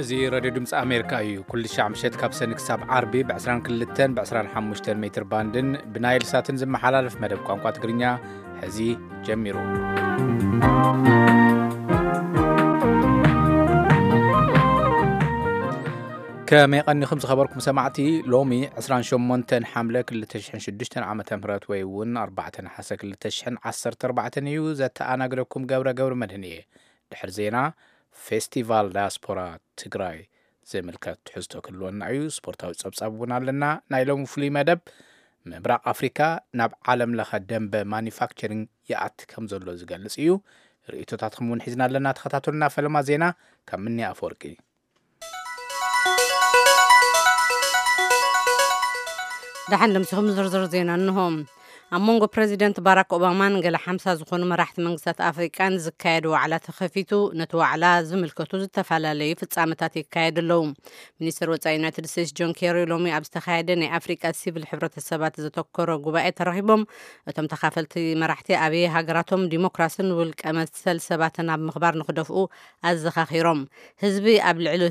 እዚ ሬድዮ ድምፂ ኣሜሪካ እዩ። ኩሉ ሻዕ ምሸት ካብ ሰኒ ክሳብ ዓርቢ ብ22 ብ25 ሜትር ባንድን ብናይል ሳትን ዝመሓላለፍ መደብ ቋንቋ ትግርኛ ሕዚ ጀሚሩ። ከመይ ቀኒኹም ዝኸበርኩም ሰማዕቲ? ሎሚ 28 ሓምለ 2006 ዓመተ ምህረት ወይ እውን 4 ነሓሰ 2014 እዩ። ዘተኣናግደኩም ገብረ ገብረ መድህን እየ። ድሕሪ ዜና፣ ፌስቲቫል ዳያስፖራ ትግራይ ዝምልከት ትሕዝቶ ክህልወና እዩ። ስፖርታዊ ጸብጻብ እውን ኣለና። ናይ ሎሚ ፍሉይ መደብ፣ ምብራቕ ኣፍሪካ ናብ ዓለም ለኸ ደንበ ማኒፋክቸሪንግ ይኣቲ ከም ዘሎ ዝገልጽ እዩ። ርእይቶታትኩም እውን ሒዝና ኣለና። ተኸታተሉና። ፈለማ ዜና ካብ ምኒ ኣፈወርቂ። ደሓን ደምሲኹም። ዝርዝር ዜና እንሆ። ኣብ መንጎ ፕረዚደንት ባራክ ኦባማን ገለ ሓምሳ ዝኾኑ መራሕቲ መንግስታት ኣፍሪቃን ዝካየድ ዋዕላ ተኸፊቱ። ነቲ ዋዕላ ዝምልከቱ ዝተፈላለዩ ፍጻመታት ይካየዱ ኣለዉ። ሚኒስትር ወጻኢ ዩናይትድ ስቴትስ ጆን ኬሪ ሎሚ ኣብ ዝተኻየደ ናይ ኣፍሪቃ ሲቪል ሕብረተሰባት ዘተኮረ ጉባኤ ተረኺቦም። እቶም ተኻፈልቲ መራሕቲ ኣብ ሃገራቶም ዲሞክራስን ውልቀ መሰል ሰባትን ኣብ ምኽባር ንኽደፍኡ ኣዘኻኺሮም። ህዝቢ ኣብ ልዕሊ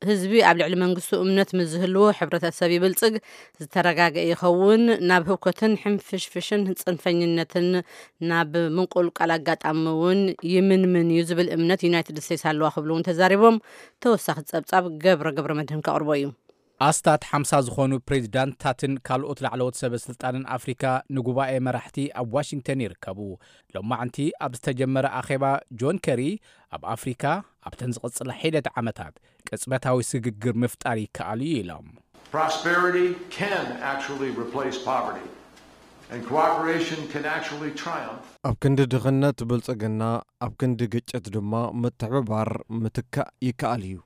ህዝቢ ኣብ ልዕሊ መንግስቱ እምነት ምስ ዝህልዎ፣ ሕብረተሰብ ይብልጽግ፣ ዝተረጋገ ይኸውን፣ ናብ ህውከትን ሕንፍሽፍሽን ጽንፈኝነትን ናብ ምንቁልቃል ኣጋጣሚ እውን ይምንምን እዩ ዝብል እምነት ዩናይትድ ስቴትስ ኣለዋ ክብሉ እውን ተዛሪቦም። ተወሳኺ ጸብጻብ ገብረ ገብረ መድህን ከቕርቦ እዩ። ኣስታት ሓምሳ ዝኾኑ ፕሬዚዳንትታትን ካልኦት ላዕለዎት ሰበ ስልጣንን ኣፍሪካ ንጉባኤ መራሕቲ ኣብ ዋሽንግተን ይርከቡ። ሎማዕንቲ ኣብ ዝተጀመረ ኣኼባ፣ ጆን ከሪ ኣብ ኣፍሪካ ኣብተን ዝቕጽላ ሒደት ዓመታት ቅጽበታዊ ስግግር ምፍጣር ይከኣል እዩ ኢሎም። Prosperity can actually replace poverty, and cooperation can actually triumph. ኣብ ክንዲ ድኽነት ብልጽግና፣ ኣብ ክንዲ ግጭት ድማ ምትሕብባር ምትካእ ይከኣል እዩ።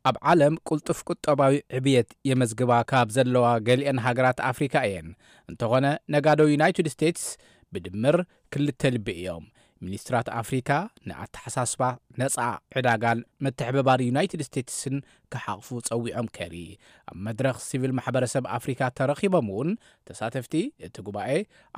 ኣብ ዓለም ቅልጡፍ ቁጠባዊ ዕብየት የመዝግባ ካብ ዘለዋ ገሊአን ሃገራት ኣፍሪካ እየን። እንተኾነ፣ ነጋዶ ዩናይትድ ስቴትስ ብድምር ክልተ ልቢ እዮም። ሚኒስትራት ኣፍሪካ ንኣተሓሳስባ ነፃ ዕዳጋን ምትሕብባር ዩናይትድ ስቴትስን ክሓቕፉ ጸዊዖም። ከሪ ኣብ መድረኽ ሲቪል ማሕበረሰብ ኣፍሪካ ተረኺቦም እውን፣ ተሳተፍቲ እቲ ጉባኤ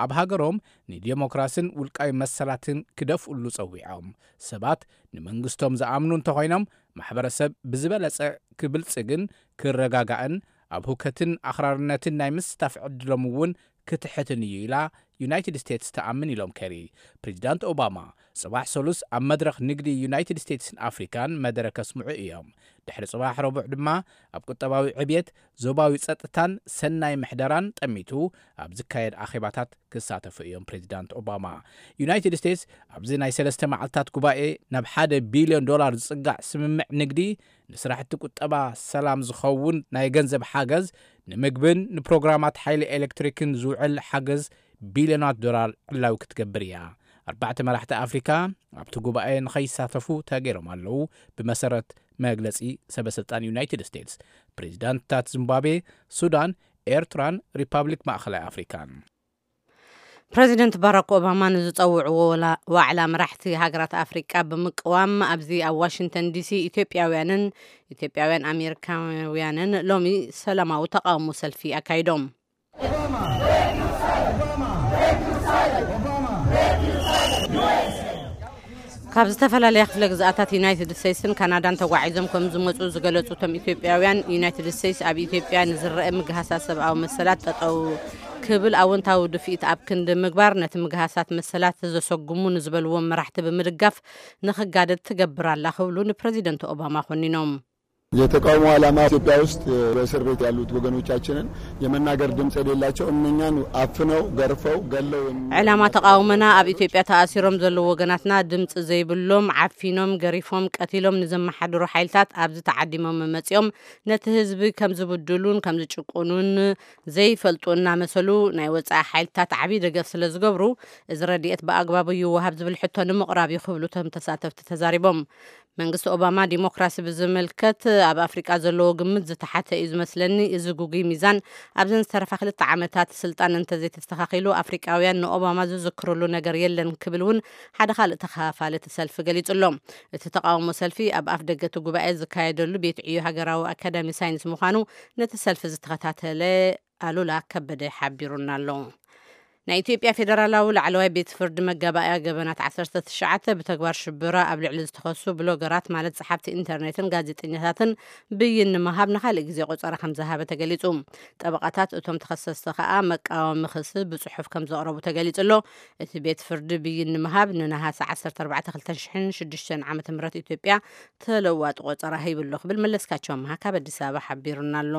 ኣብ ሃገሮም ንዴሞክራስን ውልቃዊ መሰላትን ክደፍኡሉ ጸዊዖም። ሰባት ንመንግስቶም ዝኣምኑ እንተኾይኖም፣ ማሕበረሰብ ብዝበለጸ ክብልጽግን ክረጋጋእን፣ ኣብ ሁከትን ኣኽራርነትን ናይ ምስታፍ ዕድሎም እውን ክትሕትን እዩ ኢላ ዩናይትድ ስቴትስ ትኣምን ኢሎም ከሪ። ፕሬዚዳንት ኦባማ ጽባሕ ሰሉስ ኣብ መድረኽ ንግዲ ዩናይትድ ስቴትስን ኣፍሪካን መደረ ከስምዑ እዮም። ድሕሪ ጽባሕ ረቡዕ ድማ ኣብ ቁጠባዊ ዕብየት፣ ዞባዊ ጸጥታን ሰናይ ምሕደራን ጠሚቱ ኣብ ዝካየድ ኣኼባታት ክሳተፉ እዮም። ፕሬዚዳንት ኦባማ፣ ዩናይትድ ስቴትስ ኣብዚ ናይ ሰለስተ መዓልታት ጉባኤ ናብ ሓደ ቢልዮን ዶላር ዝጽጋዕ ስምምዕ ንግዲ ንስራሕቲ ቁጠባ ሰላም ዝኸውን ናይ ገንዘብ ሓገዝ፣ ንምግብን ንፕሮግራማት ሓይሊ ኤሌክትሪክን ዝውዕል ሓገዝ ቢልዮናት ዶላር ዕላዊ ክትገብር እያ። ኣርባዕተ መራሕቲ ኣፍሪካ ኣብቲ ጉባኤ ንኸይሳተፉ ተገይሮም ኣለዉ። ብመሰረት መግለጺ ሰበስልጣን ዩናይትድ ስቴትስ፣ ፕሬዚዳንትታት ዚምባብዌ፣ ሱዳን፣ ኤርትራን ሪፓብሊክ ማእኸላይ ኣፍሪካን። ፕረዚደንት ባራክ ኦባማ ንዝጸውዕዎ ወላ-፣ ዋዕላ መራሕቲ ሃገራት ኣፍሪቃ ብምቅዋም፣ ኣብዚ ኣብ ዋሽንግተን ዲሲ ኢትዮጵያውያንን ኢትዮጵያውያን ኣሜሪካውያንን ሎሚ ሰላማዊ ተቃውሞ ሰልፊ ኣካይዶም። ካብ ዝተፈላለያ ክፍለ ግዝኣታት ዩናይትድ ስቴትስን ካናዳን ተጓዒዞም ከም ዝመጹ ዝገለጹ እቶም ኢትዮጵያውያን፣ ዩናይትድ ስቴትስ ኣብ ኢትዮጵያ ንዝረአ ምግሃሳት ሰብኣዊ መሰላት ጠጠው ክብል ኣወንታዊ ድፍኢት ኣብ ክንዲ ምግባር፣ ነቲ ምግሃሳት መሰላት ዘሰጉሙ ንዝበልዎም መራሕቲ ብምድጋፍ ንኽጋደድ ትገብር ኣላ ክብሉ ንፕረዚደንት ኦባማ ኮኒኖም። የተቃውሞ ዓላማ ኢትዮጵያ ውስጥ በእስር ቤት ያሉት ወገኖቻችንን የመናገር ድምፅ የሌላቸው እነኛን አፍነው ገርፈው ገለው የሚ- ዕላማ ተቃውሞና ኣብ ኢትዮጵያ ተኣሲሮም ዘለዉ ወገናትና ድምፂ ዘይብሎም ዓፊኖም፣ ገሪፎም፣ ቀቲሎም ንዘመሓድሩ ሓይልታት ኣብዚ ተዓዲሞም መፂኦም ነቲ ህዝቢ ከም ዝብድሉን ከም ዝጭቁኑን ዘይፈልጡ እናመሰሉ ናይ ወፃኢ ሓይልታት ዓብዪ ደገፍ ስለ ዝገብሩ እዚ ረድኤት ብኣግባቡ ይወሃብ ዝብል ሕቶ ንምቕራብ እዩ ክብሉ እቶም ተሳተፍቲ ተዛሪቦም። መንግስቲ ኦባማ ዲሞክራሲ ብዝምልከት ኣብ ኣፍሪቃ ዘለዎ ግምት ዝተሓተ እዩ ዝመስለኒ። እዚ ጉጉይ ሚዛን ኣብዘን ዝተረፋ ክልተ ዓመታት ስልጣን እንተዘይተስተኻኺሉ ኣፍሪቃውያን ንኦባማ ዝዝክርሉ ነገር የለን ክብል እውን ሓደ ካልእ ተኻፋሊ እቲ ሰልፊ ገሊጹ ኣሎ። እቲ ተቃውሞ ሰልፊ ኣብ ኣፍ ደገ እቲ ጉባኤ ዝካየደሉ ቤት ዕዮ ሃገራዊ ኣካዳሚ ሳይንስ ምዃኑ ነቲ ሰልፊ ዝተኸታተለ ኣሉላ ከበደ ሓቢሩና ኣሎ። ናይ ኢትዮጵያ ፌደራላዊ ላዕለዋይ ቤት ፍርዲ መጋባእያ ገበናት ዓሰርተ ትሽዓተ ብተግባር ሽብራ ኣብ ልዕሊ ዝተኸሱ ብሎገራት፣ ማለት ጸሓፍቲ ኢንተርኔትን ጋዜጠኛታትን፣ ብይን ንምሃብ ንኻልእ ግዜ ቆጸራ ከም ዝሃበ ተገሊጹ። ጠበቓታት እቶም ተኸሰስቲ ከኣ መቃወሚ ክሲ ብጽሑፍ ከም ዘቕረቡ ተገሊጹ ኣሎ። እቲ ቤት ፍርዲ ብይን ንምሃብ ንነሃሰ ዓሰርተ ኣርባዕተ ክልተ ሽሕን ሽዱሽተን ዓመተ ምህረት ኢትዮጵያ ተለዋጢ ቆጸራ ሂቡ ኣሎ ክብል መለስካቸው ኣምሃ ካብ ኣዲስ ኣበባ ሓቢሩና ኣሎ።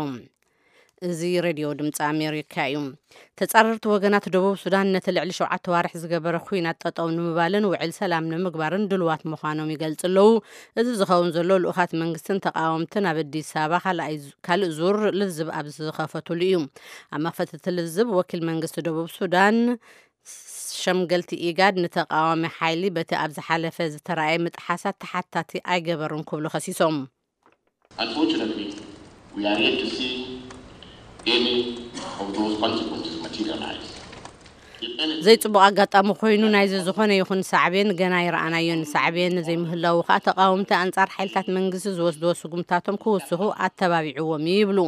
እዚ ሬድዮ ድምፂ ኣሜሪካ እዩ። ተጻረርቲ ወገናት ደቡብ ሱዳን ነቲ ልዕሊ ሸውዓተ ዋርሕ ዝገበረ ኲናት ጠጠው ንምባልን ውዕል ሰላም ንምግባርን ድልዋት ምዃኖም ይገልጹ ኣለዉ። እዚ ዝኸውን ዘሎ ልኡኻት መንግስትን ተቃወምትን ኣብ ኣዲስ ኣበባ ካልኣይ ዙ-፣ ካልእ ዙር ልዝብ ኣብ ዝኸፈቱሉ እዩ። ኣብ መኽፈቲ እቲ ልዝብ ወኪል መንግስቲ ደቡብ ሱዳን ሸምገልቲ ኢጋድ ንተቃዋሚ ሓይሊ በቲ ኣብ ዝሓለፈ ዝተራእየ ምጥሓሳት ተሓታቲ ኣይገበሩን ክብሉ ከሲሶም። Unfortunately, we are yet to see any of those consequences materialize. If anything, ዘይጽቡቕ ኣጋጣሚ ኮይኑ ናይዚ ዝኾነ ይኹን ሳዕቤን ገና ኣይረኣናዮን። ሳዕቤን ዘይምህላዉ ከኣ ተቃወምቲ ኣንጻር ሓይልታት መንግስቲ ዝወስድዎ ስጉምታቶም ክውስኹ ኣተባቢዕዎም እዩ ይብሉ።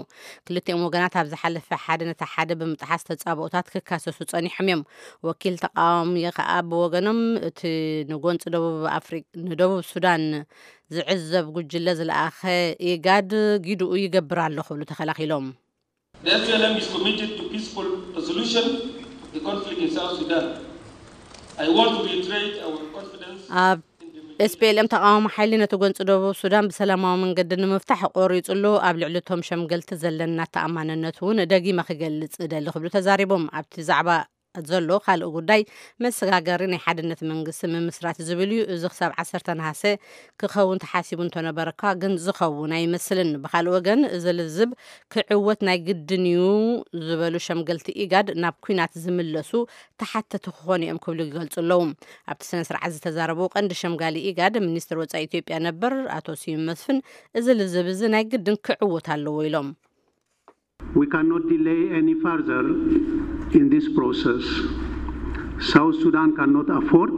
ክልቲኦም ወገናት ኣብ ዝሓለፈ ሓደ ነቲ ሓደ ብምጥሓስ ተጻብኦታት ክካሰሱ ጸኒሖም እዮም። ወኪል ተቃዋሚ ከኣ ብወገኖም እቲ ንጎንፂ ደቡብ ኣፍሪ-፣ ንደቡብ ሱዳን ዝዕዘብ ጉጅለ ዝለኣኸ ኢጋድ ጊድኡ ይገብር ኣሎ ክብሉ ተኸላኺሎም። The S P L M is committed to peaceful resolution of the conflict in South Sudan. I want to reiterate our confidence ኣብ S P L M ተቃዋሚ ሓይሊ ነቲ ጎንፂ ደቡብ ሱዳን ብሰላማዊ መንገዲ ንምፍታሕ ቆሪፁ ኣሎ። ኣብ ልዕሊ እቶም ሸምገልቲ ዘለና ተኣማንነት እውን ደጊመ ክገልፅ እደሊ ክብሉ ተዛሪቦም። ኣብቲ ዛዕባ ዘሎ ካልእ ጉዳይ መሰጋገሪ ናይ ሓድነት መንግስቲ ምምስራት ዝብል እዩ። እዚ ክሳብ ዓሰርተ ነሃሰ ክኸውን ተሓሲቡ እንተነበረ እኳ ግን ዝኸውን ኣይመስልን። ብኻልእ ወገን እዚ ልዝብ ክዕወት ናይ ግድን እዩ ዝበሉ ሸምገልቲ ኢጋድ ናብ ኲናት ዝምለሱ ተሓተቲ ክኾኑ እዮም ክብሉ ይገልጹ ኣለዉ። ኣብቲ ስነ ስርዓት ዝተዛረቡ ቀንዲ ሸምጋሊ ኢጋድ ሚኒስትር ወጻኢ ኢትዮጵያ ነበር ኣቶ ስዩም መስፍን እዚ ልዝብ እዚ ናይ ግድን ክዕወት ኣለዎ ኢሎም። We cannot delay any further in this process. South Sudan cannot afford,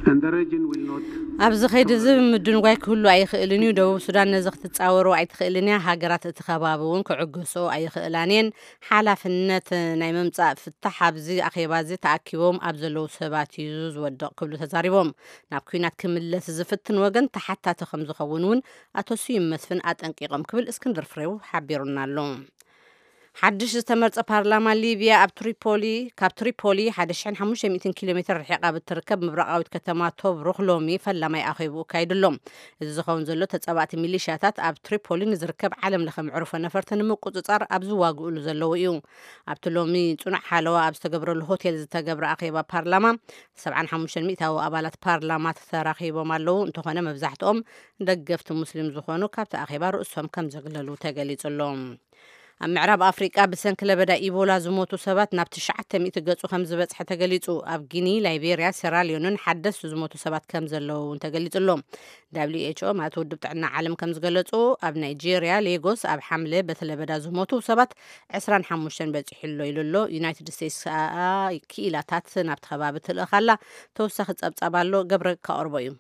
and the region will not. ኣብዚ ኸይዲ እዚ ምድንጓይ ክህሉ ኣይኽእልን እዩ። ደቡብ ሱዳን ነዚ ክትጻወሮ ኣይትኽእልን እያ። ሃገራት እቲ ከባቢ እውን ክዕገስኦ ኣይኽእላን እየን። ሓላፍነት ናይ ምምጻእ ፍታሕ ኣብዚ ኣኼባ እዚ ተኣኪቦም ኣብ ዘለዉ ሰባት እዩ ዝወድቕ ክብሉ ተዛሪቦም። ናብ ኲናት ክምለስ ዝፍትን ወገን ተሓታቲ ከም ዝኸውን እውን ኣቶ ስዩም መስፍን ኣጠንቂቖም ክብል እስክንድር ፍሬው ሓቢሩና ኣሎ። ሓድሽ ዝተመርጸ ፓርላማ ሊብያ ኣብ ትሪፖሊ፣ ካብ ትሪፖሊ ሓደ ሽሕን ሓሙሽተ ሚእትን ኪሎ ሜትር ርሒቓ ብትርከብ ምብራቓዊት ከተማ ቶብሩክ ሎሚ ፈላማይ ኣኼብኡ ኣካይዱ ኣሎ። እዚ ዝኸውን ዘሎ ተጻባእቲ ሚሊሽያታት ኣብ ትሪፖሊ ንዝርከብ ዓለም ለኸ መዕርፎ ነፈርቲ ንምቁጽጻር ኣብ ዝዋግኡሉ ዘለዉ እዩ። ኣብቲ ሎሚ ጽኑዕ ሓለዋ ኣብ ዝተገብረሉ ሆቴል ዝተገብረ ኣኼባ ፓርላማ ሰብዓን ሓሙሽተን ሚእታዊ ኣባላት ፓርላማ ተራኺቦም ኣለዉ። እንተኾነ መብዛሕትኦም ደገፍቲ ሙስሊም ዝኾኑ ካብቲ ኣኼባ ርእሶም ከም ዘግለሉ ተገሊጹ ኣሎ። ኣብ ምዕራብ ኣፍሪቃ ብሰንኪ ለበዳ ኢቦላ ዝሞቱ ሰባት ናብ ትሽዓተ ሚእቲ ገጹ ከም ዝበጽሐ ተገሊጹ። ኣብ ጊኒ፣ ላይቤርያ፣ ሴራልዮንን ሓደስቲ ዝሞቱ ሰባት ከም ዘለዉ እውን ተገሊጹ ኣሎ። W H O ማለት ውድብ ጥዕና ዓለም ከም ዝገለጹ ኣብ ናይጄርያ ሌጎስ ኣብ ሓምለ በቲ ለበዳ ዝሞቱ ሰባት ዕስራን ሓሙሽተን በጺሑ ኣሎ ኢሉ ኣሎ። ዩናይትድ ስቴትስ ከኣ ክኢላታት ናብቲ ከባቢ ትልእኽ ኣላ። ተወሳኺ ጸብጻብ ኣሎ፣ ገብረ ከቕርቦ እዩ።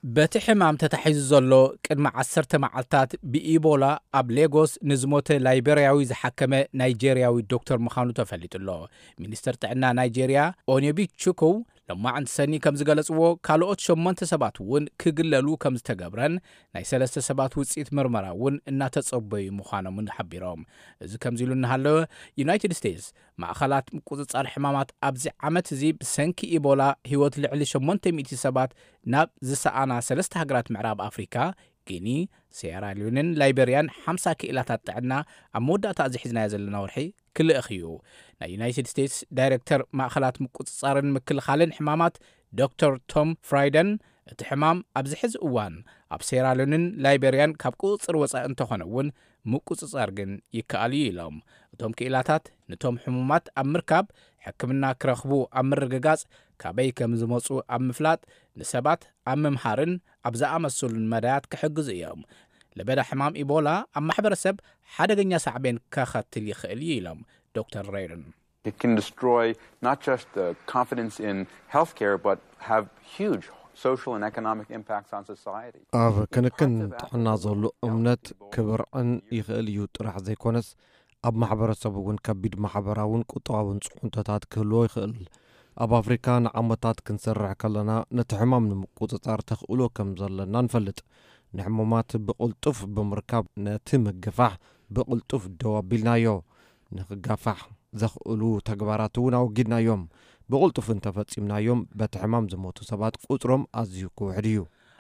በቲ ሕማም ተታሒዙ ዘሎ ቅድሚ ዓሰርተ መዓልታት ብኢቦላ ኣብ ሌጎስ ንዝሞተ ላይቤርያዊ ዝሓከመ ናይጄርያዊ ዶክተር ምዃኑ ተፈሊጡ ኣሎ። ሚኒስተር ጥዕና ናይጄርያ ኦንዮቢ ቹኩው ሎማዕንቲ ሰኒ ከም ዝገለጽዎ ካልኦት ሸሞንተ ሰባት እውን ክግለሉ ከም ዝተገብረን ናይ ሰለስተ ሰባት ውጽኢት ምርመራ እውን እናተጸበዩ ምዃኖምን ሓቢሮም። እዚ ከምዚ ኢሉ እናሃለወ ዩናይትድ ስቴትስ ማእኸላት ምቁጽጻር ሕማማት ኣብዚ ዓመት እዚ ብሰንኪ ኢቦላ ህይወት ልዕሊ ሸሞንተ ሚእቲ ሰባት ናብ ዝሰኣና ሰለስተ ሃገራት ምዕራብ ኣፍሪካ ጊኒ፣ ሴራልዮንን ላይቤርያን ሓምሳ ክኢላታት ጥዕና ኣብ መወዳእታ እዚ ሒዝናዮ ዘለና ወርሒ ክልእኽ እዩ። ናይ ዩናይትድ ስቴትስ ዳይሬክተር ማእኸላት ምቁጽጻርን ምክልኻልን ሕማማት ዶክተር ቶም ፍራይደን እቲ ሕማም ኣብዚ ሕዚ እዋን ኣብ ሴራልዮንን ላይቤርያን ካብ ቁጽጽር ወጻኢ እንተኾነ እውን ምቁጽጻር ግን ይከኣል እዩ ኢሎም። እቶም ክኢላታት ንቶም ሕሙማት ኣብ ምርካብ ሕክምና ክረኽቡ ኣብ ምርግጋጽ ካበይ ከም ዝመጹ ኣብ ምፍላጥ ንሰባት ኣብ ምምሃርን ኣብ ዝኣመሰሉን መዳያት ክሕግዙ እዮም። ለበዳ ሕማም ኢቦላ ኣብ ማሕበረሰብ ሓደገኛ ሳዕቤን ከኸትል ይኽእል እዩ ኢሎም ዶክተር ሬይርን። It can destroy not just the confidence in healthcare, but have huge social and economic impacts on society. ኣብ ክንክን ጥዕና ዘሎ እምነት ክብርዕን ይኽእል እዩ ጥራሕ ዘይኮነስ ኣብ ማሕበረሰብ እውን ከቢድ ማሕበራውን ቁጠባውን ጽዕንቶታት ክህልዎ ይኽእል። ኣብ ኣፍሪካ ንዓመታት ክንሰርሕ ከለና ነቲ ሕማም ንምቁጽጻር ተኽእሎ ከም ዘለና ንፈልጥ። ንሕሙማት ብቕልጡፍ ብምርካብ ነቲ ምግፋሕ ብቕልጡፍ ደው ኣቢልናዮ። ንክጋፋሕ ዘኽእሉ ተግባራት እውን ኣወጊድናዮም። ብቕልጡፍ እንተፈጺምናዮም በቲ ሕማም ዝሞቱ ሰባት ቁጽሮም ኣዝዩ ክውሕድ እዩ።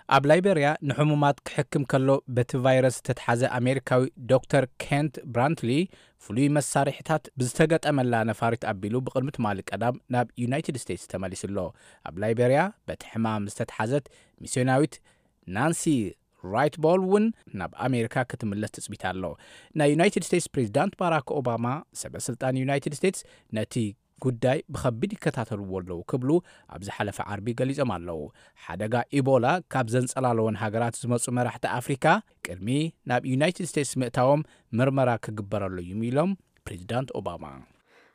ኣብ ላይቤርያ ንሕሙማት ክሕክም ከሎ በቲ ቫይረስ ዝተትሓዘ ኣሜሪካዊ ዶክተር ኬንት ብራንትሊ ፍሉይ መሳርሒታት ብዝተገጠመላ ነፋሪት ኣቢሉ ብቕድሚ ትማሊ ቀዳም ናብ ዩናይትድ ስቴትስ ተመሊሱ ኣሎ። ኣብ ላይቤርያ በቲ ሕማም ዝተትሓዘት ሚስዮናዊት ናንሲ ራይትቦል እውን ናብ ኣሜሪካ ክትምለስ ትጽቢት ኣሎ። ናይ ዩናይትድ ስቴትስ ፕሬዚዳንት ባራክ ኦባማ ሰበ ስልጣን ዩናይትድ ስቴትስ ነቲ ጉዳይ ብኸቢድ ይከታተልዎ ኣለዉ ክብሉ ኣብ ዝሓለፈ ዓርቢ ገሊጾም ኣለዉ። ሓደጋ ኢቦላ ካብ ዘንጸላለወን ሃገራት ዝመጹ መራሕቲ ኣፍሪካ ቅድሚ ናብ ዩናይትድ ስቴትስ ምእታዎም ምርመራ ክግበረሉ እዩ ኢሎም ፕሬዚዳንት ኦባማ።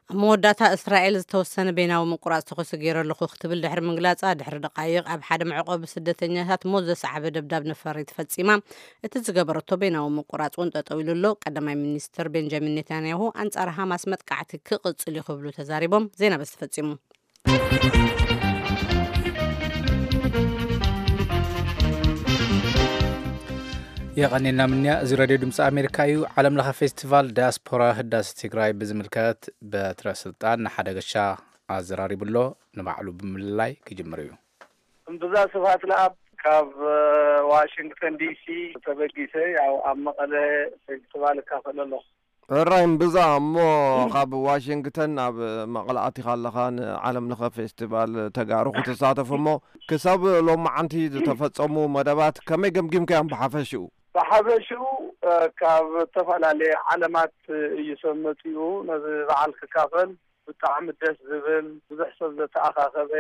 ኣብ መወዳእታ እስራኤል ዝተወሰነ ቤናዊ ምቁራፅ ተኹሲ ገይረ ኣለኹ ክትብል ድሕሪ ምግላፃ ድሕሪ ደቃይቕ ኣብ ሓደ መዕቆቢ ስደተኛታት ሞት ዘሰዓበ ደብዳብ ነፈሪት ፈፂማ። እቲ ዝገበረቶ ቤናዊ ምቁራፅ እውን ጠጠው ኢሉ ኣሎ። ቀዳማይ ሚኒስትር ቤንጃሚን ኔታንያሁ ኣንፃር ሃማስ መጥቃዕቲ ክቕፅል እዩ ክብሉ ተዛሪቦም። ዜና በዚ ተፈፂሙ። የቐኔልና ምንያ። እዚ ሬድዮ ድምፂ ኣሜሪካ እዩ። ዓለም ለኸ ፌስቲቫል ዳያስፖራ ህዳሴ ትግራይ ብዝምልከት በትረ ስልጣን ንሓደ ገሻ ኣዘራሪቡ ኣሎ። ንባዕሉ ብምልላይ ክጅምር እዩ። እምብዛ ስብሃት ለኣብ ካብ ዋሽንግተን ዲሲ ተበጊሰ ያው ኣብ መቐለ ፌስቲቫል እካፈል ኣለኹ። ሕራይ እምብዛ። እሞ ካብ ዋሽንግተን ናብ መቐለ ኣቲኻ ኣለኻ፣ ንዓለም ለኸ ፌስቲቫል ተጋሩ ክትሳተፍ እሞ ክሳብ ሎማዓንቲ ዝተፈጸሙ መደባት ከመይ ገምጊምካዮም ብሓፈሽኡ? ብሓፈሽኡ ካብ ዝተፈላለየ ዓለማት እዩ ሰብ መፂኡ ነዚ በዓል ክካፈል። ብጣዕሚ ደስ ዝብል ብዙሕ ሰብ ዘተኣኻኸበ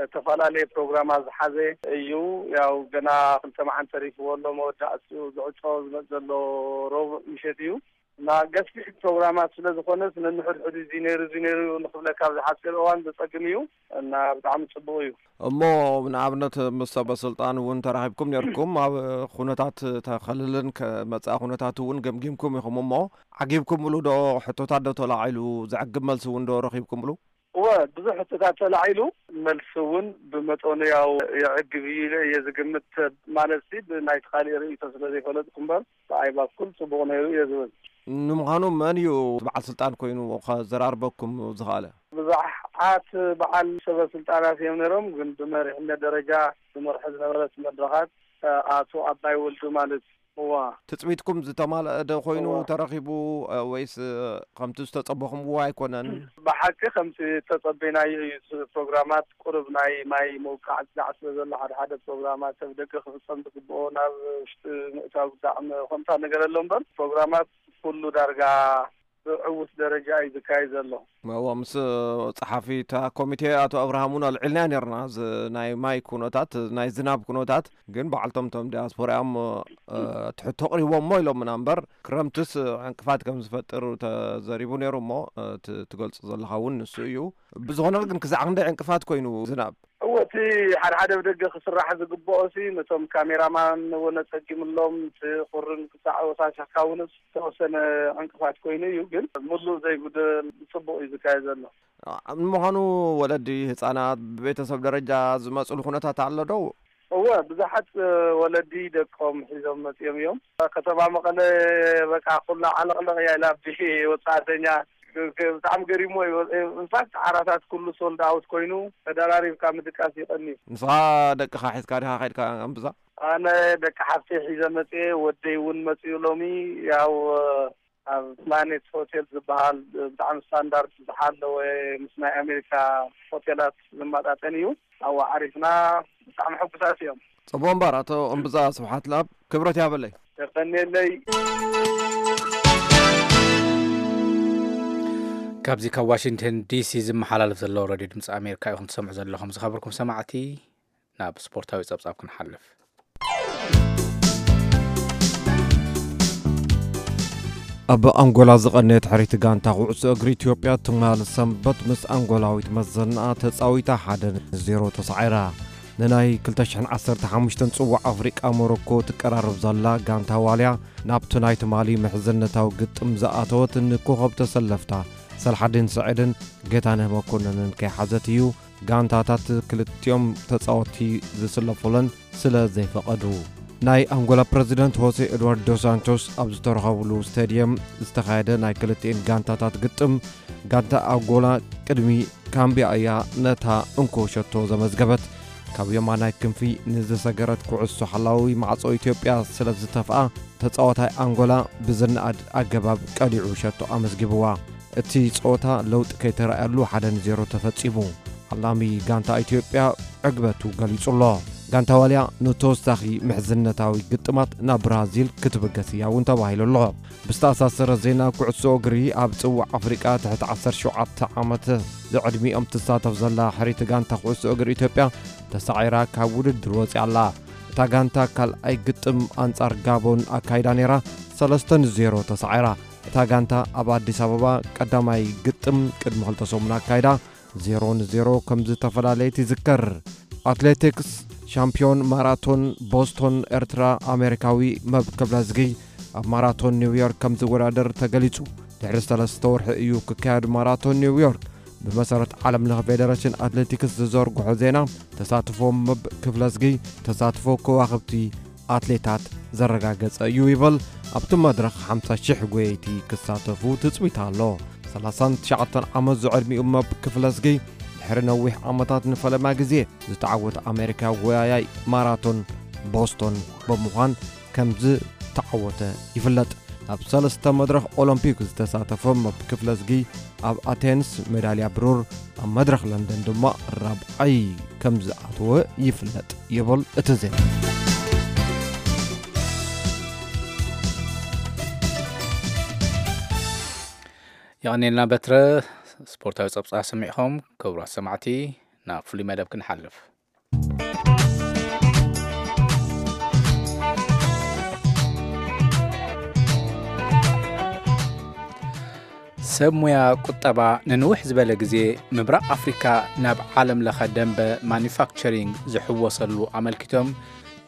ዝተፈላለየ ፕሮግራማት ዝሓዘ እዩ። ያው ገና ክልተ መዓልቲ ተሪፍዎ ኣሎ መወዳእትኡ ዝዕጾ ዝመፅ ዘሎ ረቡዕ ምሸት እዩ። እና ገፊሕ ፕሮግራማት ስለ ዝኾነስ ነንሕድሕዱ እዚ ነይሩ እዚ ነይሩ ንኽብለካ ኣብዚ ሓፂር እዋን ዘፀግም እዩ። እና ብጣዕሚ ፅቡቕ እዩ። እሞ ንኣብነት ምስ ሰበ ስልጣን እውን ተራኺብኩም ነርኩም ኣብ ኩነታት ተኸልልን ከመፅኣ ኩነታት እውን ገምጊምኩም ኢኹም እሞ ዓጊብኩምሉ ዶ? ሕቶታት ዶ ተላዒሉ? ዘዕግብ መልሲ እውን ዶ ረኺብኩምሉ? እወ ብዙሕ ሕቶታት ተላዒሉ። መልሲ እውን ብመጠኑ ያው የዕግብ እዩ ኢለ እየ ዝግምት። ማለት ሲ ብናይቲ ካሊእ ርእይቶ ስለ ዘይፈለጥኩ እምበር ብኣይ ባኩል ፅቡቕ ነይሩ እየ ዝብል። ንምዃኑ መን እዩ በዓል ስልጣን ኮይኑ ከዘራርበኩም ዝኸኣለ? ብዙሓት በዓል ሰበ ስልጣናት እዮም ነይሮም፣ ግን ብመሪሕነት ደረጃ ዝመርሐ ዝነበረ እቲ መድረኻት ኣቶ ኣባይ ወልዱ ማለት እዋ። ትጽቢትኩም ዝተማልአ ዶ ኮይኑ እዋ። ተረኺቡ ወይስ ከምቲ ዝተጸበኹምዎ ኣይኮነን? ብሓቂ ከምቲ ዝተጸበይናዮ እዩ። ፕሮግራማት ቁሩብ ናይ ማይ ምውቃዕ ዝዳዕ ስለ ዘሎ ሓደ ሓደ ፕሮግራማት ሰብ ደገ ክፍጸም ዝግብኦ ናብ ውሽጢ ምእታው ብጣዕሚ ከምታ ነገር ኣሎ እምበር ፕሮግራማት ኩሉ ዳርጋ ብዕዉት ደረጃ እዩ ዝካየድ ዘሎ። እዋ ምስ ጸሓፊ እታ ኮሚቴ ኣቶ ኣብርሃም እውን ኣልዒልናዮ ነርና እዚ ናይ ማይ ኩነታት ናይ ዝናብ ኩነታት ግን በዓልቶም እቶም ዲያስፖራ እዮም ትሕቶ ኣቕሪቦሞ ኢሎምና እምበር ክረምትስ ዕንቅፋት ከም ዝፈጥር ተዘሪቡ ነይሩ እሞ እቲ ትገልጾ ዘለኻ እውን ንሱ እዩ። ብዝኾነ ግን ክሳዕ ክንደይ ዕንቅፋት ኮይኑ ዝናብ? እወ እቲ ሓደ ሓደ ብደገ ክስራሕ ዝግብኦ ሲ ነቶም ካሜራማን እውን ኣፀጊምሎም እቲ ቁርን ክሳዕ ወሳሻካ እውን ዝተወሰነ ዕንቅፋት ኮይኑ እዩ ግን ሙሉእ ዘይጉደል ብፅቡቅ እዩ ዝካየድ ዘሎ። ንምዃኑ ወለዲ ህፃናት ብቤተሰብ ደረጃ ዝመፅሉ ኩነታት ኣሎ ዶ? እወ ብዙሓት ወለዲ ደቆም ሒዞም መፂኦም እዮም። ከተማ መቐለ በቃ ኩላ ዓለቕለቕ እያ ኢላ ብወፃእተኛ ብጣዕሚ ገሪሞ እዩ። ኢንፋክት ዓራታት ኩሉ ሶልድ ኣውት ኮይኑ ተደራሪብካ ምድቃስ ይቐኒ። ንስኻ ደቅኻ ሒዝካ ዲኻ ከይድካ ኣምብዛ? ኣነ ደቂ ሓፍተይ ሒዘ መፅየ፣ ወደይ እውን መፅዩ ሎሚ። ያው ኣብ ፕላኔት ሆቴል ዝበሃል ብጣዕሚ ስታንዳርድ ዝሓለወ ምስ ናይ ኣሜሪካ ሆቴላት ዝመጣጠን እዩ። ኣብኡ ዓሪፍና ብጣዕሚ ሕጉሳት እዮም። ፅቡቅ እምበር ኣቶ እምብዛ ስብሓት ለኣብ ክብረት ያበለይ። የቀንየለይ። ካብዚ ካብ ዋሽንግተን ዲሲ ዝመሓላለፍ ዘሎ ረድዮ ድምፂ ኣሜሪካ ኢኹም ትሰምዑ ዘለኹም። ዝኸበርኩም ሰማዕቲ ናብ ስፖርታዊ ጸብጻብ ክንሓልፍ። ኣብ ኣንጎላ ዝቐነየት ሕርይቲ ጋንታ ኩዕሶ እግሪ ኢትዮጵያ ትማል ሰንበት ምስ ኣንጎላዊት መዘናኣ ተጻዊታ ሓደ ንዜሮ ተሳዒራ። ንናይ ክልተ ሽሕን ዓሰርተ ሓሙሽተን ጽዋዕ ኣፍሪቃ ሞሮኮ ትቀራረብ ዘላ ጋንታ ዋልያ፣ ናብቲ ናይ ትማሊ ምሕዝነታዊ ግጥም ዝኣተወት ንኮኸብ ተሰለፍታ ሰልሓዲን ስዒድን ጌታነህ መኮንንን ከይሓዘት እዩ፣ ጋንታታት ክልቲኦም ተጻወትቲ ዝስለፉለን ስለ ዘይፈቐዱ። ናይ ኣንጎላ ፕረዚደንት ሆሴ ኤድዋርድ ዶስ ሳንቶስ ኣብ ዝተረኸብሉ ስቴድየም ዝተኻየደ ናይ ክልቲኤን ጋንታታት ግጥም፣ ጋንታ ኣንጎላ ቅድሚ ካምቢያ እያ ነታ እንኮ ሸቶ ዘመዝገበት። ካብ የማናይ ክንፊ ንዝሰገረት ኩዕሶ ሓላዊ ማዕጾ ኢትዮጵያ ስለ ዝተፍኣ፣ ተጻዋታይ ኣንጎላ ብዝነኣድ ኣገባብ ቀሊዑ ሸቶ ኣመዝጊብዋ። እቲ ጸወታ ለውጢ ከይተራእየሉ ሓደ ንዜሮ ተፈጺሙ። ዓላሚ ጋንታ ኢትዮጵያ ዕግበቱ ገሊጹ ኣሎ። ጋንታ ዋልያ ንተወሳኺ ምሕዝነታዊ ግጥማት ናብ ብራዚል ክትብገስ እያ እውን ተባሂሉ ኣሎ። ብዝተኣሳሰረ ዜና ኩዕሶ እግሪ፣ ኣብ ጽዋዕ ኣፍሪቃ ትሕቲ ዓሰርተ ሸውዓተ ዓመት ዝዕድሚኦም ትሳተፍ ዘላ ሕሪቲ ጋንታ ኩዕሶ እግሪ ኢትዮጵያ ተሳዒራ ካብ ውድድር ወፂኣ ኣላ። እታ ጋንታ ካልኣይ ግጥም ኣንጻር ጋቦን ኣካይዳ ነይራ፣ ሰለስተ ንዜሮ ተሳዒራ። እታ ጋንታ ኣብ ኣዲስ ኣበባ ቀዳማይ ግጥም ቅድሚ ክልተ ሰሙን ኣካይዳ፣ ዜሮ ንዜሮ ከም ዝተፈላለየት ይዝከር። ኣትሌቲክስ፣ ሻምፒዮን ማራቶን ቦስቶን ኤርትራ ኣሜሪካዊ መብ ክብለዝጊ ኣብ ማራቶን ኒውዮርክ ከም ዝወዳደር ተገሊጹ። ድሕሪ ሰለስተ ወርሒ እዩ ክካየድ ማራቶን ኒውዮርክ። ብመሰረት ዓለም ለኸ ፌደሬሽን ኣትሌቲክስ ዝዘርግሖ ዜና፣ ተሳትፎ መብ ክብለዝጊ ተሳትፎ ከዋኽብቲ ኣትሌታት ዘረጋገጸ እዩ ይበል። ኣብቲ መድረኽ ሓምሳ ሽሕ ጎየይቲ ክሳተፉ ትጽቢት ኣሎ። ሰላሳን ትሽዓተን ዓመት ዝዕድሚኡ መብ ክፍለዝጊ፣ ድሕሪ ነዊሕ ዓመታት ንፈለማ ግዜ ዝተዓወተ ኣሜሪካዊ ጎያያይ ማራቶን ቦስቶን ብምዃን ከም ዝተዓወተ ይፍለጥ። ኣብ ሰለስተ መድረኽ ኦሎምፒክ ዝተሳተፈ መብ ክፍለዝጊ፣ ኣብ ኣቴንስ ሜዳልያ ብሩር፣ ኣብ መድረኽ ለንደን ድማ ራብዓይ ከም ዝኣተወ ይፍለጥ ይብል እቲ ዜና። የቐኔልና በትረ። ስፖርታዊ ጸብጻብ ሰሚዕኹም ክቡራት ሰማዕቲ፣ ናብ ፍሉይ መደብ ክንሓልፍ። ሰብ ሙያ ቁጠባ ንንውሕ ዝበለ ግዜ ምብራቕ ኣፍሪካ ናብ ዓለም ለኸ ደንበ ማኒፋክቸሪንግ ዝሕወሰሉ ኣመልኪቶም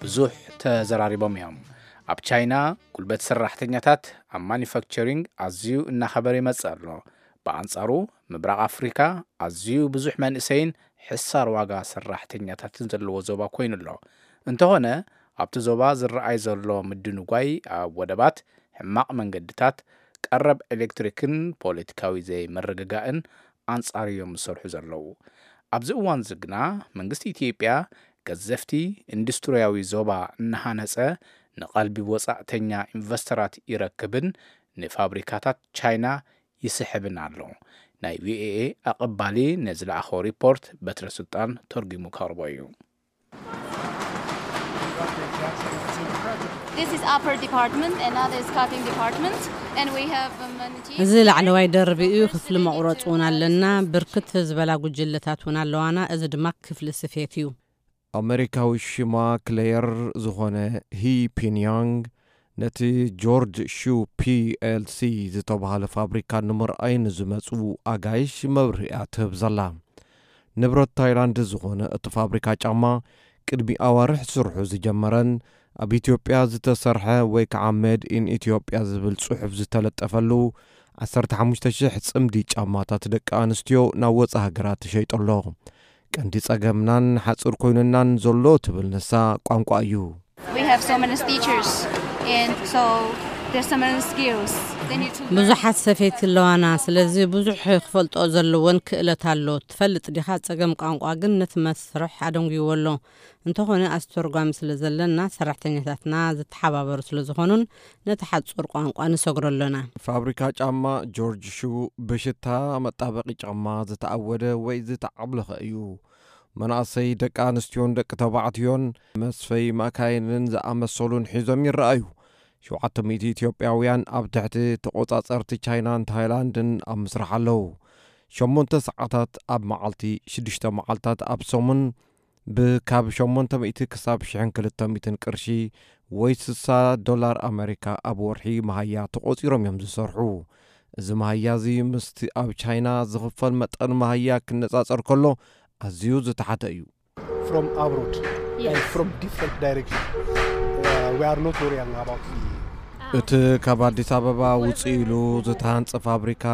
ብዙሕ ተዘራሪቦም እዮም። ኣብ ቻይና ጉልበት ሰራሕተኛታት ኣብ ማኒፋክቸሪንግ ኣዝዩ እናኸበረ ይመጽእ ኣሎ። ብኣንጻሩ ምብራቕ ኣፍሪካ ኣዝዩ ብዙሕ መንእሰይን ሕሳር ዋጋ ሰራሕተኛታትን ዘለዎ ዞባ ኮይኑ ኣሎ። እንተኾነ ኣብቲ ዞባ ዝረኣይ ዘሎ ምድንጓይ ኣብ ወደባት፣ ሕማቕ መንገድታት፣ ቀረብ ኤሌክትሪክን ፖለቲካዊ ዘይምርግጋእን ኣንጻር እዮም ዝሰርሑ ዘለዉ። ኣብዚ እዋን እዚ ግና መንግስቲ ኢትዮጵያ ገዘፍቲ ኢንዱስትሪያዊ ዞባ እናሃነጸ ንቐልቢ ወጻእተኛ ኢንቨስተራት ይረክብን ንፋብሪካታት ቻይና ይስሕብን ኣሎ። ናይ ቪኦኤ ኣቐባሊ ነዚ ለኣኸ ሪፖርት በትረ ስልጣን ተርጉሙ ከቕርቦ እዩ። This is upper department, another is cutting department, and we have many teams. እዚ ላዕለዋይ ደርቢ እዩ። ክፍሊ መቑረፂ እውን ኣለና። ብርክት ዝበላ ጉጅለታት እውን ኣለዋና። እዚ ድማ ክፍሊ ስፌት እዩ። ኣመሪካዊ ሽማ ክሌየር ዝኾነ ሂ ፒንያንግ፣ ነቲ ጆርጅ ሹ ፒኤልሲ ዝተባህለ ፋብሪካ ንምርኣይ ንዝመጹ ኣጋይሽ መብርሂ እያ ትህብ ዘላ። ንብረት ታይላንድ ዝኾነ እቲ ፋብሪካ ጫማ፣ ቅድሚ ኣዋርሕ ስርሑ ዝጀመረን ኣብ ኢትዮጵያ ዝተሰርሐ ወይ ከዓ ሜድ ኢን ኢትዮጵያ ዝብል ጽሑፍ ዝተለጠፈሉ፣ ዓሰርተ ሓሙሽተ ሽሕ ጽምዲ ጫማታት ደቂ ኣንስትዮ ናብ ወጻኢ ሃገራት ይሸይጡ ኣሎ። ቀንዲ ጸገምናን ሓጹር ኮይኑናን ዘሎ ትብል ንሳ፣ ቋንቋ እዩ። We have so many stitchers and so there's so many skills. They need to learn. ብዙሓት ሰፈይቲ ኣለዋና፣ ስለዚ ብዙሕ ክፈልጥኦ ዘለወን ክእለት ኣሎ። ትፈልጥ ዲኻ፣ ጸገም ቋንቋ ግን ነቲ መስርሕ ኣደንጉይዎ ኣሎ። እንተኾነ ኣስተርጓሚ ስለ ዘለና፣ ሰራሕተኛታትና ዝተሓባበሩ ስለ ዝኾኑን ነቲ ሓጹር ቋንቋ ንሰግሮ ኣሎና። ፋብሪካ ጫማ ጆርጅ ሹ ብሽታ መጣበቒ ጫማ ዝተኣወደ ወይ ዝተዓብለኸ እዩ። መናእሰይ ደቂ ኣንስትዮን ደቂ ተባዕትዮን መስፈይ መካይንን ዝኣመሰሉን ሒዞም ይረኣዩ። ሸውዓተ ሚእቲ ኢትዮጵያውያን ኣብ ትሕቲ ተቖጻጸርቲ ቻይናን ታይላንድን ኣብ ምስራሕ ኣለዉ። ሸሞንተ ሰዓታት ኣብ መዓልቲ፣ ሽዱሽተ መዓልታት ኣብ ሰሙን፣ ብካብ ሸሞንተ ሚእቲ ክሳብ ሽሕን ክልተ ሚእትን ቅርሺ ወይ ስሳ ዶላር ኣመሪካ ኣብ ወርሒ መሃያ ተቖጺሮም እዮም ዝሰርሑ። እዚ መሃያ እዚ ምስቲ ኣብ ቻይና ዝኽፈል መጠን መሃያ ክነጻጸር ከሎ ኣዝዩ ዝተሓተ እዩ። from abroad and from different direction. Uh, we are not worrying about the እቲ ካብ ኣዲስ ኣበባ ውፅእ ኢሉ ዝተሃንፀ ፋብሪካ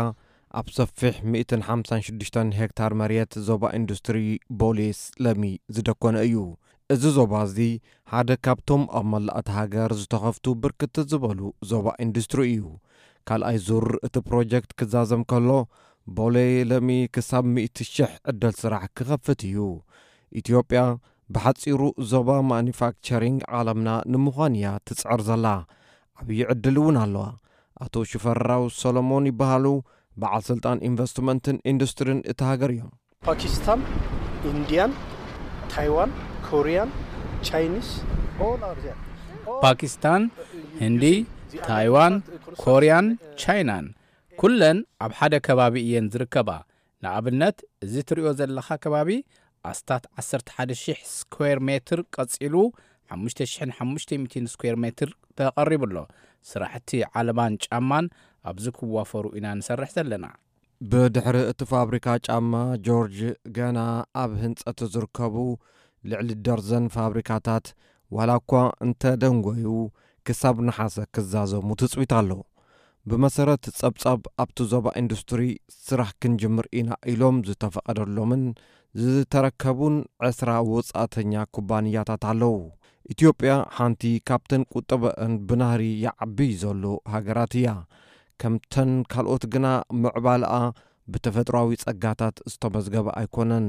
ኣብ ሰፊሕ ሚእትን ሓምሳን ሽዱሽተን ሄክታር መሬት ዞባ ኢንዱስትሪ ቦሌስ ለሚ ዝደኮነ እዩ። እዚ ዞባ እዚ ሓደ ካብቶም ኣብ መላእ እታ ሃገር ዝተኸፍቱ ብርክት ዝበሉ ዞባ ኢንዱስትሪ እዩ። ካልኣይ ዙር እቲ ፕሮጀክት ክዛዘም ከሎ፣ ቦሌ ለሚ ክሳብ ሚእቲ ሽሕ ዕድል ስራሕ ክኸፍት እዩ። ኢትዮጵያ ብሓጺሩ ዞባ ማኑፋክቸሪንግ ዓለምና ንምዃን እያ ትጽዕር ዘላ። ዓብዪ ዕድል እውን ኣለዋ። ኣቶ ሽፈራው ሰሎሞን ይበሃሉ፣ በዓል ስልጣን ኢንቨስትመንትን ኢንዱስትሪን እታ ሃገር እዮም። Pakistan, Indian, Taiwan, Korean, Chinese, all are there. All ፓኪስታን፣ ህንዲ፣ ታይዋን፣ ኮርያን፣ ቻይናን ኩለን ኣብ ሓደ ከባቢ እየን ዝርከባ። ንኣብነት፣ እዚ ትሪኦ ዘለኻ ከባቢ ኣስታት ዓሰርተ ሓደ ሺሕ ስኩዌር ሜትር ቀጺሉ ሓሙሽተ ሺሕን ሓሙሽተ ሚእትን ስኩዌር ሜትር ተቐሪቡ ኣሎ። ስራሕቲ ዓለባን ጫማን ኣብዚ ክዋፈሩ ኢና ንሰርሕ ዘለና። ብድሕሪ እቲ ፋብሪካ ጫማ ጆርጅ፣ ገና ኣብ ህንጸት ዝርከቡ ልዕሊ ደርዘን ፋብሪካታት ዋላ እኳ እንተደንጎዩ፣ ክሳብ ነሓሰ ክዛዘሙ ትጽቢት ኣሎ። ብመሰረት ጸብጻብ፣ ኣብቲ ዞባ ኢንዱስትሪ ስራሕ ክንጅምር ኢና ኢሎም ዝተፈቐደሎምን ዝተረከቡን ዕስራ ወጻእተኛ ኩባንያታት ኣለዉ። ኢትዮጵያ ሓንቲ ካብተን ቁጠበአን ብናህሪ ይዓቢ ዘሎ ሃገራት እያ። ከምተን ካልኦት ግና ምዕባለኣ ብተፈጥሮኣዊ ጸጋታት ዝተመዝገበ ኣይኮነን።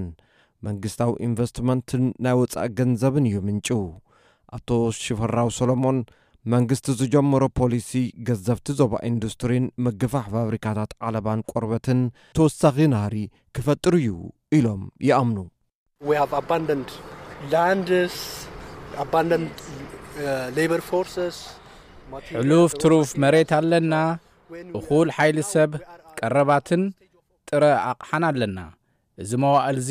መንግስታዊ ኢንቨስትመንትን ናይ ወጻኢ ገንዘብን እዩ ምንጩ። ኣቶ ሽፈራው ሰሎሞን፣ መንግስቲ ዝጀመሮ ፖሊሲ ገዘፍቲ ዞባ ኢንዱስትሪን ምግፋሕ ፋብሪካታት ዓለባን ቆርበትን ተወሳኺ ናህሪ ክፈጥር እዩ ኢሎም ይኣምኑ። We have abundant lands, abundant uh, labor forces. ሕሉፍ ትሩፍ መሬት ኣለና። እኹል ሓይሊ ሰብ፣ ቀረባትን ጥረ ኣቕሓን ኣለና። እዚ መዋእልዚ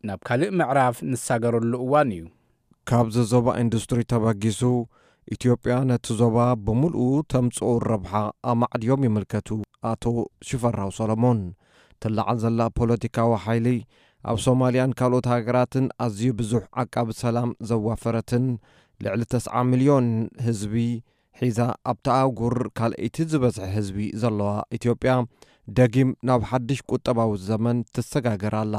ናብ ካልእ ምዕራፍ ንሳገረሉ እዋን እዩ። ካብዚ ዞባ ኢንዱስትሪ ተበጊሱ፣ ኢትዮጵያ ነቲ ዞባ ብምልኡ ተምጽኦ ረብሓ ኣማዕድዮም ይምልከቱ ኣቶ ሽፈራው ሰሎሞን። ትለዓል ዘላ ፖለቲካዊ ሓይሊ ኣብ ሶማልያን ካልኦት ሃገራትን ኣዝዩ ብዙሕ ዓቃቢ ሰላም ዘዋፈረትን ልዕሊ ተስዓ ሚልዮን ህዝቢ ሒዛ ኣብታ ኣህጉር ካልኣይቲ ዝበዝሐ ህዝቢ ዘለዋ ኢትዮጵያ፣ ደጊም ናብ ሓድሽ ቁጠባዊ ዘመን ትሰጋገር ኣላ።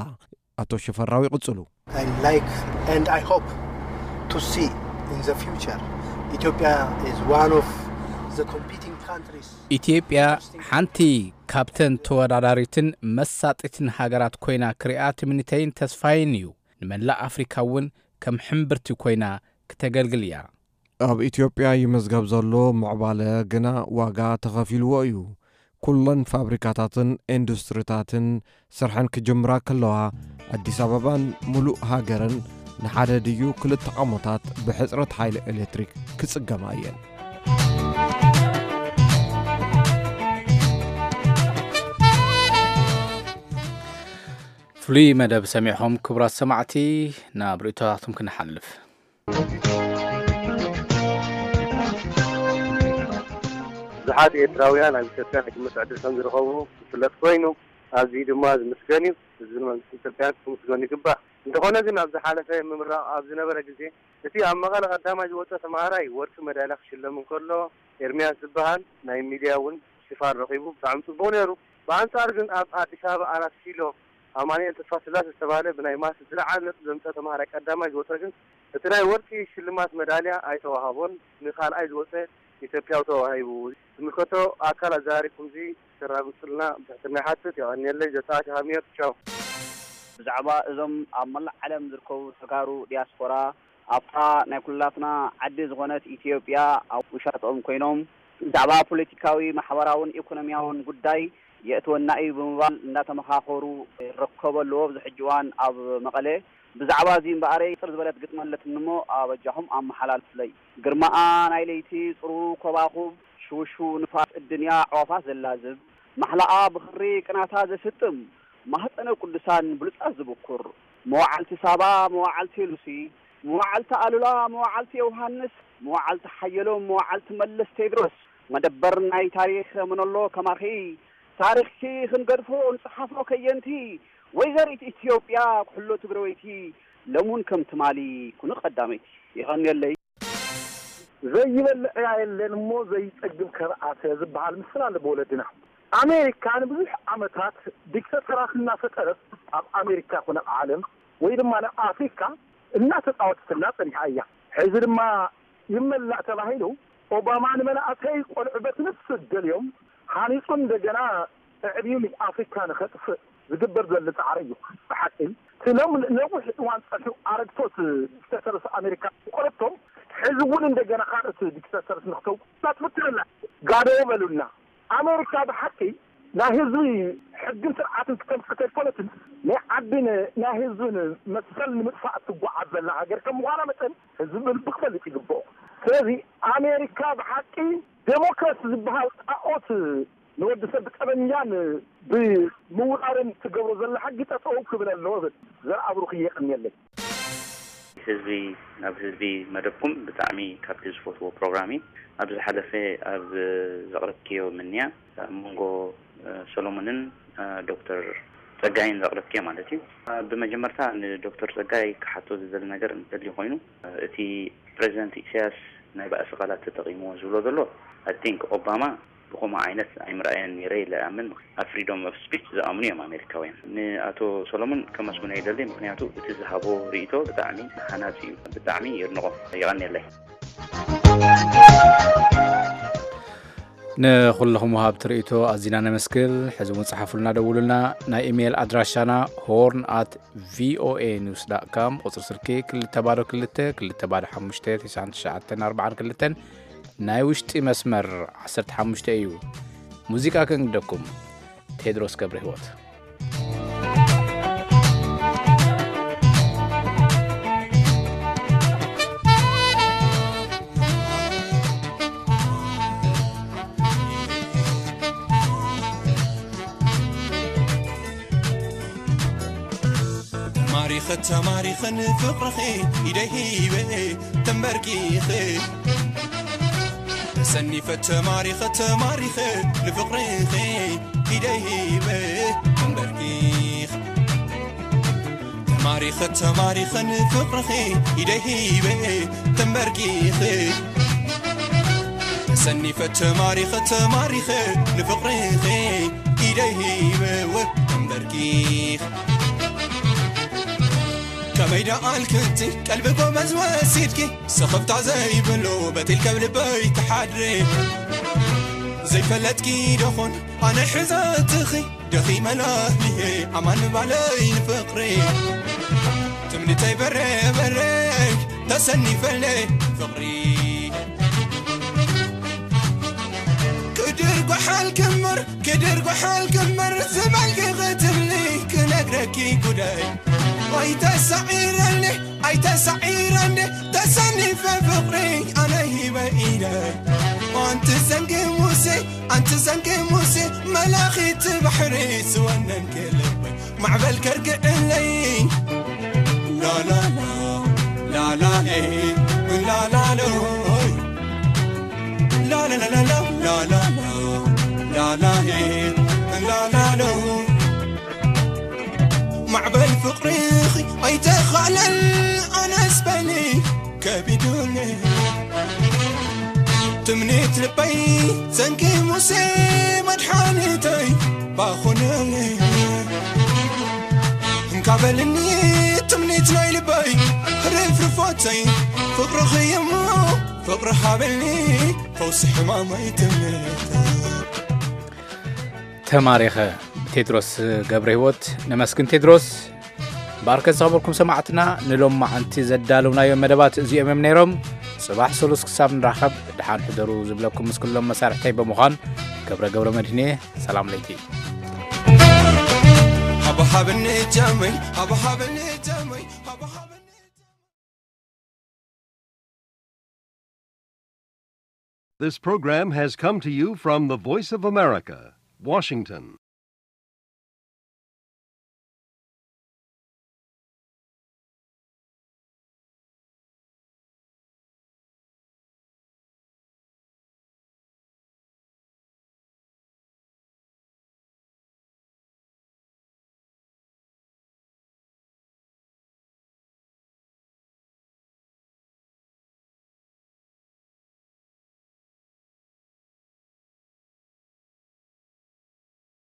ኣቶ ሽፈራው ይቕጽሉ። I like and I hope to see in the future Ethiopia is one of the competing countries. ኢትዮጵያ ሓንቲ ካብተን ተወዳዳሪትን መሳጢትን ሃገራት ኮይና ክሪኣ ትምኒተይን ተስፋይን እዩ። ንመላእ ኣፍሪካ እውን ከም ሕምብርቲ ኮይና ክተገልግል እያ። ኣብ ኢትዮጵያ ይምዝገብ ዘሎ ምዕባለ ግና ዋጋ ተኸፊልዎ እዩ። ኩለን ፋብሪካታትን ኢንዱስትሪታትን ስርሐን ክጅምራ ከለዋ፣ ኣዲስ ኣበባን ሙሉእ ሃገርን ንሓደ ድዩ ክልተ ዓሞታት ብሕጽረት ሓይሊ ኤሌክትሪክ ክጽገማ እየን። ፍሉይ መደብ ሰሚዕኹም ክቡራት ሰማዕቲ፣ ናብ ርእቶታትኩም ክንሓልፍ። ብዙሓት ኤርትራውያን ኣብ ኢትዮጵያ ናይ ትምህርቲ ዕድል ከም ዝረኸቡ ዝፍለጥ ኮይኑ፣ ኣዝዩ ድማ ዝምስገን እዩ። ህዝብን መንግስቲ ኢትዮጵያን ክምስገኑ ይግባእ። እንተኾነ ግን፣ ኣብ ዝሓለፈ ምምራቕ ኣብ ዝነበረ ግዜ፣ እቲ ኣብ መቐለ ቀዳማይ ዝወጸ ተምሃራይ ወርቂ መዳልያ ክሽለም እንከሎ፣ ኤርምያስ ዝበሃል ናይ ሚድያ እውን ሽፋን ረኺቡ። ብጣዕሚ ጽቡቕ ነይሩ። ብኣንጻር ግን፣ ኣብ ኣዲስ ኣበባ ኣራት ኪሎ ኣማኑኤል ተስፋስላሴ ዝተባህለ ብናይ ማትስ ዝለዓለ ነጥቢ ዘምጸ ተምሃራይ ቀዳማይ ዝወጸ ግን፣ እቲ ናይ ወርቂ ሽልማት መዳልያ ኣይተዋህቦን። ንኻልኣይ ዝወጸ ኢትዮጵያዊ ተዋሂቡ። ዝምልከቶ ኣካል ኣዘራሪብኩምዚ ክተራግጹልና ብትሕትና ይሓትት። የቐንየለይ። ዘተኣቲ ሃሚዮት። ቻው። ብዛዕባ እዞም ኣብ መላእ ዓለም ዝርከቡ ተጋሩ ዲያስፖራ ኣብታ ናይ ኩላትና ዓዲ ዝኾነት ኢትዮጵያ ኣብ ውሻጠኦም ኮይኖም ብዛዕባ ፖለቲካዊ፣ ማሕበራውን ኢኮኖሚያውን ጉዳይ የእትወና እዩ ብምባል እንዳተመኻኸሩ ይርከቡ ኣለዉ። ኣብዚ ሕጂ እዋን ኣብ መቐለ ብዛዕባ እዚ እምበኣረይ ጥር ዝበለት ግጥሚ ኣለትኒ እሞ ኣበጃኹም ኣመሓላልፉለይ። ግርማኣ ናይ ለይቲ ጽሩሩ ኮባኹብ ሽውሽው ንፋስ እድንያ ኣዕዋፋት ዘላዝብ ማሕላኣ ብኽሪ ቅናታ ዘስጥም ማህፀነ ቅዱሳን ብሉፃት ዝብኩር መዋዕልቲ ሳባ መዋዕልቲ ሉሲ መዋዕልቲ ኣሉላ መዋዕልቲ ዮውሃንስ መዋዕልቲ ሓየሎም መዋዕልቲ መለስ ቴድሮስ መደበር ናይ ታሪኽ መነሎ ከማኺ ታሪኽኪ ክንገድፎ ንፅሓፎ ከየንቲ ወይዘሪት ኢትዮጵያ ኩሕሎ ትግረወይቲ ሎም እውን ከም ትማሊ ኩኑ ቀዳመይቲ። የቐንየለይ። ዘይበልዕ ዕያ የለን እሞ ዘይጸግብ ከርኣተ ዝበሃል ምስል ኣሎ ብወለድና። ኣሜሪካ ንብዙሕ ዓመታት ዲክተተራት እናፈጠረት ኣብ ኣሜሪካ ኮነ ኣብ ዓለም ወይ ድማ ናብ ኣፍሪካ እናተጻወተትና ጸኒሓ እያ። ሕዚ ድማ ይመላእ ተባሂሉ ኦባማ ንመናእሰይ ቆልዑ በቲ ንሱ ደልዮም ሃኒጹ እንደገና ኣዕብዩ ንኣፍሪካ ንኸጥፍእ ዝግበር ዘሎ ጻዕሪ እዩ። ብሓቂ እቲ ሎም ነዊሕ እዋን ጸኒሑ ኣረግቶት ዲክተተርስ ኣሜሪካ ቆረቶም ሕዚ እውን እንደገና ካልኦት ዲክተተርስ ንክተው ናትፍትንና ጋደው በሉና። ኣሜሪካ ብሓቂ ናይ ህዝቢ ሕግን ስርዓትን ክተምፅእ ከይኮነትን ናይ ዓድን ናይ ህዝብን መሰል ንምጥፋእ ትጓዓዝ ዘላ ሃገር ከም ምዃና መጠን ህዝቢ ብልቢ ክፈልጥ ይግብኦ። ስለዚ ኣሜሪካ ብሓቂ ዴሞክራሲ ዝበሃል ጣኦት ንወዲ ሰብ ብጠበኛን ብምውራርን ትገብሮ ዘላ ሕጊ ጠጠው ክብል ኣለዎ ብል። ዘርኣብሩኽ የቐንየለይ። ህዝቢ ናብ ህዝቢ መደብኩም ብጣዕሚ ካብቲ ዝፈትዎ ፕሮግራም እዩ። ኣብ ዝሓለፈ ኣብ ዘቕረብክዮ ምንያ ኣብ መንጎ ሰሎሞንን ዶክተር ጸጋይን ዘቕረብክዮ ማለት እዩ። ብመጀመርታ ንዶክተር ጸጋይ ክሓቶ ዝደሊ ነገር እንተልዩ ኮይኑ እቲ ፕሬዚደንት ኢሳያስ ናይ ባእሲ ቃላት ተጠቒምዎ ዝብሎ ዘሎ I think ኦባማ ብኸምኡ ዓይነት ኣይምርኣየን ነይረ ኢለ እኣምን። ኣብ freedom of speech ዝኣምኑ እዮም ኣሜሪካውያን። ንኣቶ ሰሎሞን ከመስግኖ ይደሊ፣ ምኽንያቱ እቲ ዝሃቦ ርእይቶ ብጣዕሚ ሃናጺ እዩ። ብጣዕሚ የድንቖ። የቐንየለይ። ንኹልኹም ወሃብቲ ርእይቶ ኣዚና ነመስግን። ሕዚ እውን ጸሓፉልና፣ ደውሉልና። ናይ ኢሜይል ኣድራሻና ሆርን ኣት ቪኦኤ ኒውስ ዳት ካም፣ ቁጽሪ ስልኪ ክልተ ባዶ ክልተ ክልተ ባዶ ሓሙሽተ ተስዓን ትሽዓተን ኣርባዓን ክልተን። ናይ ውሽጢ መስመር ዓሰርተ ሓሙሽተ እዩ። ሙዚቃ ከንግደኩም። ቴድሮስ ገብረህይወት። ተማሪኸ ተማሪኸ ንፍቕርኺ ኢደይ ሂበ ተንበርኪኸ ተሰኒፈ ተማሪኸ ተማሪኸ ንፍቕርኺ ኢደይ ሂበ ተንበርኪኸ ተማሪኸ ተማሪኸ ንፍቕርኺ ኢደይ ሂበ ተንበርኪኸ ተሰኒፈ ተማሪኸ ተማሪኸ ንፍቕርኺ ኢደይ ሂበ ወ ተንበርኪኸ ከመይ ደኣ ኣልክቲ ቀልቢ ጎመዝ ወሲድኪ ስኽፍታ ዘይብሉ በቲል ከብ ልበይ ትሓድሪ ዘይፈለጥኪ ደኹን ኣነ ሕዘትኺ ደኺመ ላህሊሄ ኣማን ምባለይ ንፍቕሪ ትምኒተይ በረ በረ ተሰኒፈልነ ፍቕሪ ክድር ጓሓል ክምር ክድር ጓሓል ክምር ዝበልኪ ክትብሊ ክነግረኪ ጉዳይ ኣይተሳዒረኒ ኣይተሳዒረኒ ተሰኒፈ ፍቕሪ ኣነ ሂበ ኢደይ ኣንቲ ዘንጊ ሙሴ ኣንቲ ዘንጊ ሙሴ መላኺት ባሕሪ ዝወነንኪ ልበይ ማዕበል ከርግእለይ ላላላ ላላኤ ላላሎይ ላላላላ ላላላ ላላኤ ላላሎ ማዕበል ፍቕርኺ ኣይተኻለን ኣነስ በሊ ከቢዱኒ ትምኒት ልበይ ዘንጊ ሙሴ መድሓኒተይ ባኹነኒ እንካ በልኒ ትምኒት ናይ ልበይ ርፍርፎተይ ፍቕርኺ እሞ ፍቕሪ ሃበኒ ፈውሲ ሕማመይ ትምኒተይ ተማሪኸ ብቴድሮስ ገብረ ህይወት። ነመስግን ቴድሮስ። ባርከት ዝኸበርኩም ሰማዕትና ንሎማዓንቲ ዘዳለውናዮም መደባት እዚኦም እዮም ነይሮም። ጽባሕ ሰሉስ ክሳብ ንራኸብ ደሓን ሕደሩ ዝብለኩም ምስ ኩሎም መሳርሕተይ ብምዃን ገብረ ገብረ መድህን እየ። ሰላም ለይቲ። ሃብሃብኒ ጃመይ ሃብሃብኒ ጃመይ ሃብሃብኒ This program has come to you from the Voice of America, Washington.